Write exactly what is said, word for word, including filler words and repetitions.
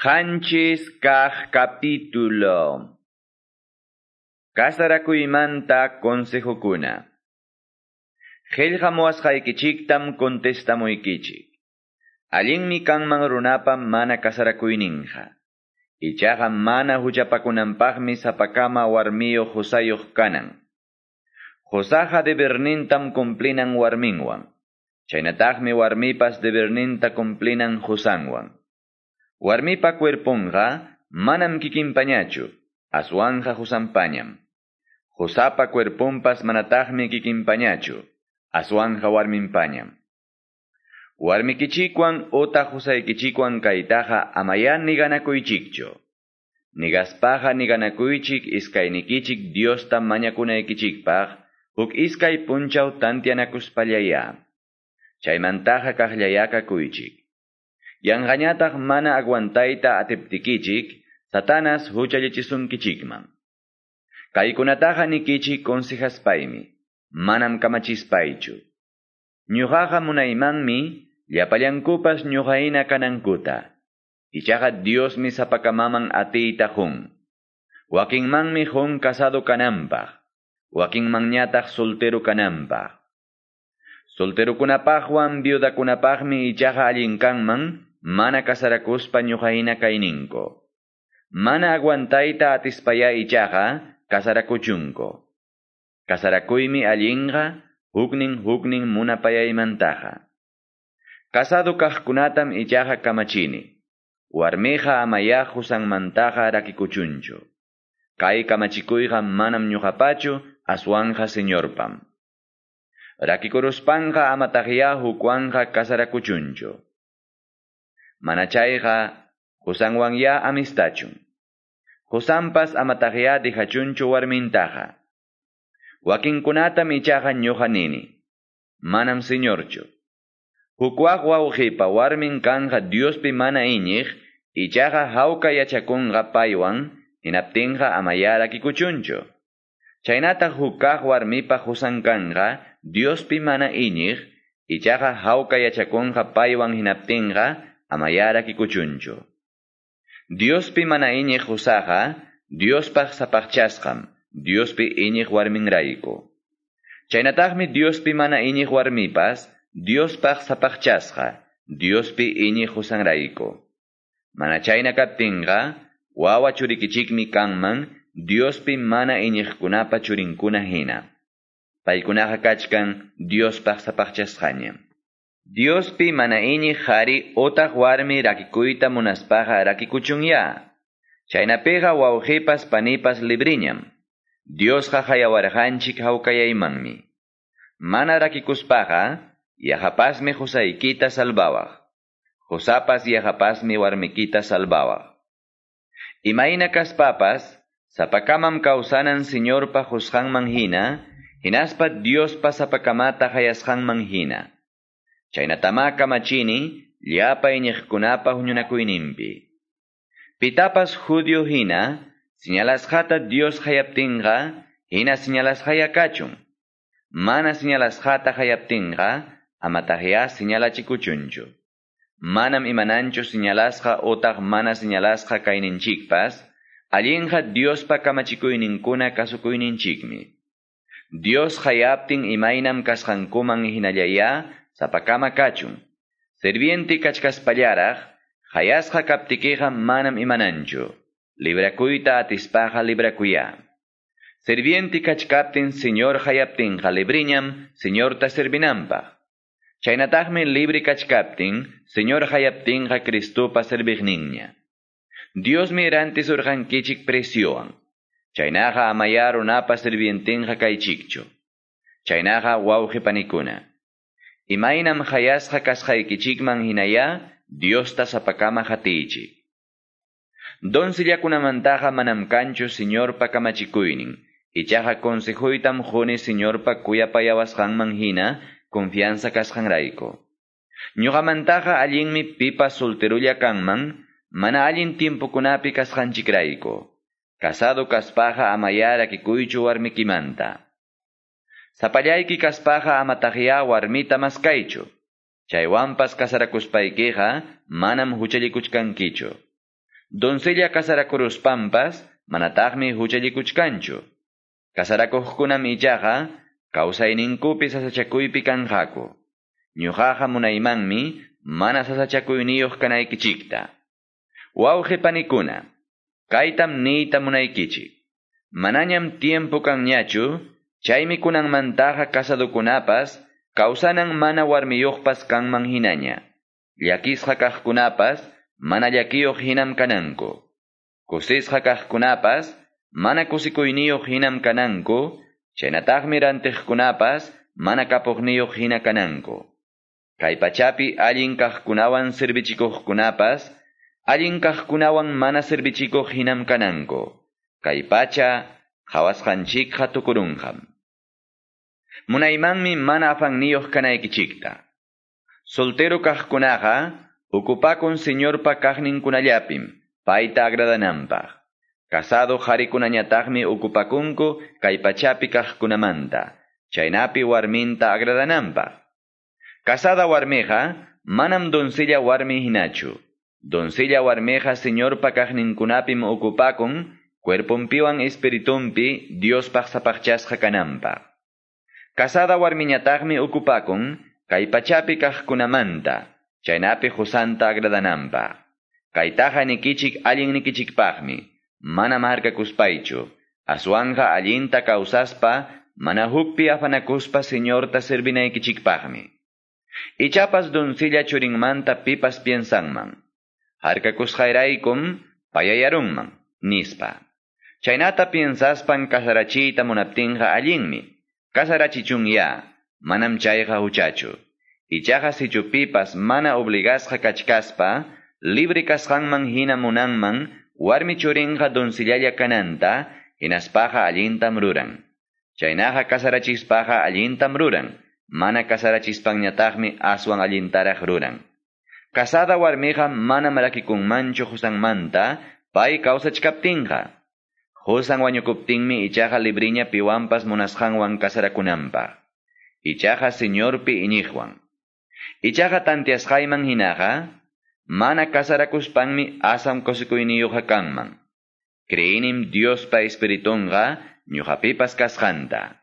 Qanchis kaq capítulo. Kasarakuymanta consejokuna. Qillqamuwasqaykichiktam contestamuykichik. Allinmi kanman runapa mana kasarakuyninqa. Ichaqa mana huchapakunanpaqmi sapakama warmiyuq qusayuq kanan. Qusaqa debernintam cumplinan warminwan. Chaynataqmi warmipas deberninta cumplinan qusanwan. Warmipa cuerponqa manam kikinpañachu, aswanqa qusanpañam. Qusapa cuerponpas manataqmi kikinpañachu, aswanqa warminpañam. Warmikichikwan otaq qusaykichikwan kaytaqa amaya niganakuychikchu. Nigaspaqa niganakuychik iskaynikichik Diosta mañakunaykichikpaq, huk iskay punchaw tantianakuspallaya. Chaymantaqa kaqllaya kakuychik. Yanqañataq mana aguantayta atiptikichik, Satanas huchallichisunkichikman. Kaykunataqa nikichik consejaspaymi, manam kamachispaychu. Ñuqaqa munaymanmi llapallankupas ñuqahina kanankuta. Ichaqa Diosmi sapakamaman atiyta qun. Wakinmanmi qun casado kananpaq, wakinmanñataq soltero kananpaq. Solterokunapaqwan viudakunapaqmi ichaqa allin kanman mana kasarakuspa ñuqahina kayninku. Mana aguantayta atispaya ichaqa kasarakuchunku. Kasarakuymi allinqa huknin huknin munapayaymantaqa. Casado kaqkunatam ichaqa kamachini. Warmiqa amaya qusanmantaqa rakikuchunchu. Kay kamachikuyqa manam ñuqapachu aswanqa Señorpam. Rakikuruspanqa amataqya hukwanqa kasarakuchunchu. Mana chayqa qusanwanya amistachun. Qusanpas amataqya dejachunchu warmintaqa. Wakinkunatam ichaqa ñuqa nini. Manam Señorchu. Hukwaq wawqipa warmin kanqa Diospi mana iñiq, ichaqa hawka yachakunqa paywan, hinaptinqa amaya rakikuchunchu. Chaynataq hukkaq warmipa qusan kanqa Diospi mana iñiq, ichaqa hawka yachakunqa paywan hinaptinqa amaya rakikuchunchu. Diospi mana iñiq qusaqa Diospaq sapaqchasqam, Diospi iñiq warminrayku. Chaynataqmi Diospi mana iñiq warmipas Diospaq sapaqchasqa, Diospi iñiq qusanrayku. Mana chayna kaptinqa, wawa churikichikmi kanman Diospi mana iñiqkunapa churinkuna hina. Paykunaqa kachkan Diospaq sapaqchasqañam. Diospi mana iñiq qhari otaq warmi rakikuyta munaspaqa rakikuchunya. Chaynapiqa wawqipas panipas libriñam. Diosqa hayawarqanchik hawkayaymanmi. Mana rakikuspaqa, yaqapasmi qusaykita salvawaq. Qusapas yaqapasmi warmikita salvawaq. Imayna kaspapas, sapakamam kawsanan Señorpa qusqanman hina, hinaspa Diospa sapakamata hayasqanman hina. Chaynatama kamachini, llapa iñiqkunapa huñunakuyninpi. Pitapas judío hina, señalasqata Dios hayaptinqa, hina señalasqaya kachun. Mana señalasqata hayaptinqa, amataqya señalachikuchunchu. Manam imananchu señalasqa otaq mana señalasqa kayninchikpas, allinqa Diospa kamachikuyninkuna kasukuyninchikmi. Dios hayaptin imaynam kasqankuman hinallaya sapakama kachun. Serviente kachkaspallaraq, hayasqa kaptikiqa manam imananchu. Librakuyta atispaqa librakuya. Serviente kachkaptin Señor hayaptinqa libriñam Señorta servinanpaq. Chaynataqmi libre kachkaptin Señor hayaptinqa Cristopa serviqninña. Diosmi rantisurqankichik preciowan. Chaynaqa amaya runapa sirvientinqa kaychikchu. Chaynaqa wawqi panikuna. Imaynam hayasqa kasqaykichikman hinaya Diosta sapakama hatiychik. Doncillakunamantaqa manam kanchu Señorpa kamachikuynin. Ichaqa consejuytam quni Señorpa kuyapayawasqanman hina confianza kasqanrayku. Ñuqamantaqa allinmi pipas solterulla kanman, mana allin tiempokunapi kasqanchikrayku. Casado kaspaqa amaya rakikuychu warmikimanta. Sapallayki kaspaqa amataqya warmita maskaychu. Chaywanpas kasarakuspaykiqa manam huchallikuchkankichu. Doncella casarakuruspanpas manataqmi huchallikuchkanchu. Casarakuqkunam ichaqa kawsayninkupi sasachakuypi kanqaku. Ñuqaqa munaymanmi mana sasachakuyniyuq kanaykichikta. Wawqi panikuna, kaytam niyta munaykichik. Manañam tiempo kanñachu, chaymi kunanmantaqa casadukunapas, kawsanan mana warmiyuqpas kanman hinaña. Llakisqa kaqkunapas, mana llakiyuq hinam kananku. Kusisqa kaqkunapas, mana kusikuyniyuq hinam kananku, chaynataqmi rantiqkunapas, mana kapuqniyuq hina kananku. Kay pachapi allin kaqkunawan servichikuqkunapas, allin kaqkunawan mana servichikuq hinam kananku. Kay pacha qhawasqanchikqa tukurunqam. Munaymanmi mana afanniyuq kanaykichikta. Soltero kaqkunaqa ukupakun Señorpa kaqninkunallapim, payta agradananpaq. Casado qarikunañataqmi ukupakunku kay pachapi kaqkunamanta, chaynapi warminta agradananpaq. Casada warmiqa manam doncella warmi hinachu. Doncella warmiqa Señorpa kaqninkunapim ukupakun, cuerponpiwan espiritunpi Diospaq sapaqchasqa kananpaq. Casada warmiñataqmi ukupakun kay pachapi kaqkunamanta, chaynapi qusanta agradananpaq. Kaytaqa nikichik allin nikichikpaqmi, mana harkakuspaychu, aswanqa allinta kawsaspa, mana hukpi afanakuspa Señorta servinaykichikpaqmi. Ichapas doncella churinmanta pipas piensanman. Harkakusqayraykum payayarunman, nispa. Chaynata piensaspan kasarachiyta munaptinqa allinmi. Kasarachichun ya, manam chayqa huchachu. Ichaqa sichu pipas mana obligasqa kachkaspa, libre kasqanman hina munanman, warmi churinqa doncellalla kananta, hinaspaqa allintam ruran. Chaynaqa kasarachispaqa allintam ruran. Mana kasarachispanñataqmi aswan allintaraq ruran. Casada warmiqa manam rakikunmanchu qusanmanta, pay kawsachkaptinqa. Qusan wañukuptinmi ichaqa libriña piwanpas munasqanwan kasarakunanpaq. Ichaqa Señorpi iñiqwan. Ichaqa tantiasqayman hinaqa, mana kasarakuspanmi asam kusikuyniyuqqa kanman. Creyinim Diospa espiritunqa ñuqapipas kasqanta.